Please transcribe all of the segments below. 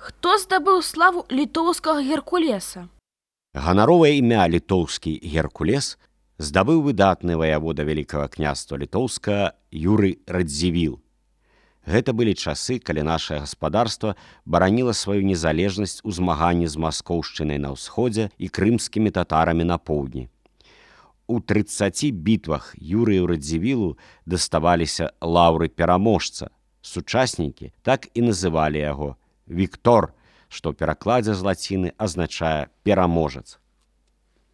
Хто здабыў славу літоўскага Геркулеса? Ганаровае імя літоўскі Геркулес здабыў выдатны ваявода Вялікага княства літоўскага Юрый Радзівіл. Гэта былі часы, калі нашае гаспадарства бараніла сваю незалежнасць у змаганні з маскоўшчынай на ўсходзе і крымскімі татарамі на поўдні. У 30 бітвах Юрыю Радзівілу даставаліся лаўры пераможца. Сучаснікі так і называлі яго Віктор, што ў перакладзе з лаціны азначае пераможац.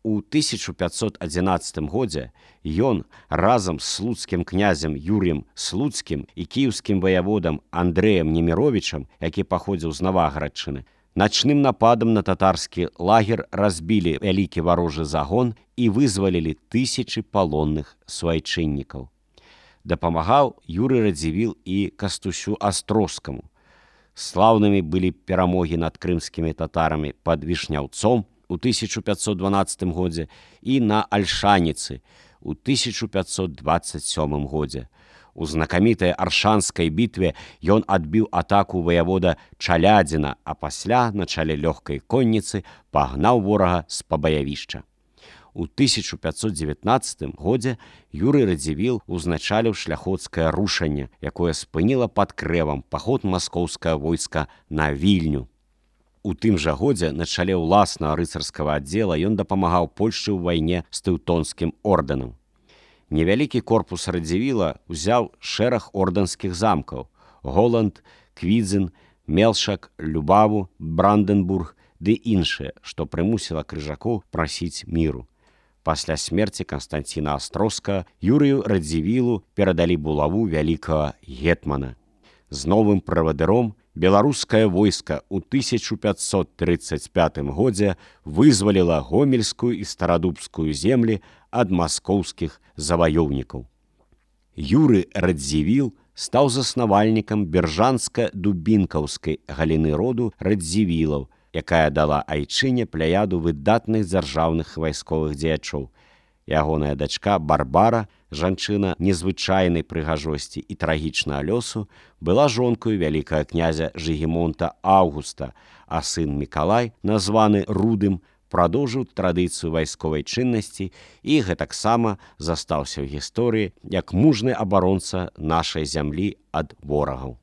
У 1511 годзе ён разам з слуцкім князем Юрыем Слуцкім і кіеўскім ваяводам Андрэем Неміровічам, які паходзіў з Наваградчыны, начным нападам на татарскі лагер разбілі вялікі варожы загон і вызвалілі тысячы палонных суайчыннікаў. Дапамагаў Юрый Радзівіл і Кастусю Астроскаму. Слаўнымі былі перамогі над крымскімі татарамі пад Вішняўцом у 1512 годзе і на Альшаніцы у 1527 годзе. У знакамітай Аршанскай бітве ён адбіў атаку ваявода Чалядзіна, а пасля на чале лёгкай конніцы пагнаў ворага з пабаявішча. У 1519 годзе Юрый Радзівіл узначаліў шляхоцкае рушанне, якое спыніла пад Крэвам паход маскоўскага войска на Вільню. У тым жа годзе на чале ўласнага рыцарскага аддзела ён дапамагаў Польшчы ў вайне з Тэўтонскім ордэнам. Невялікі корпус Радзівіла ўзяў шэраг ордэнскіх замкаў – Голланд, Квідзін, Мелшак, Любаву, Бранденбург ды іншыя, што прымусіла крыжакоў прасіць міру. Пасля смерці Канстанціна Астроскага Юрыю Радзівілу перадалі булаву вялікага гетмана. З новым правадыром беларускае войска ў 1535 годзе вызваліла гомельскую і старадубскую землі ад маскоўскіх заваёўнікаў. Юрый Радзівіл стаў заснавальнікам бержанска-дубінкаўскай галіны роду Радзівілаў, якая дала айчыне пляяду выдатных дзяржаўных вайсковых дзеячоў. Ягоная дачка Барбара, жанчына незвычайнай прыгажосці і трагічнага лёсу, была жонкаю вялікага князя Жыгімонта Аўгуста, а сын Мікалай, названы Рудым, прадоўжыў традыцыю вайсковай чыннасці і гэтаксама застаўся ў гісторыі як мужны абаронца нашай зямлі ад ворагаў.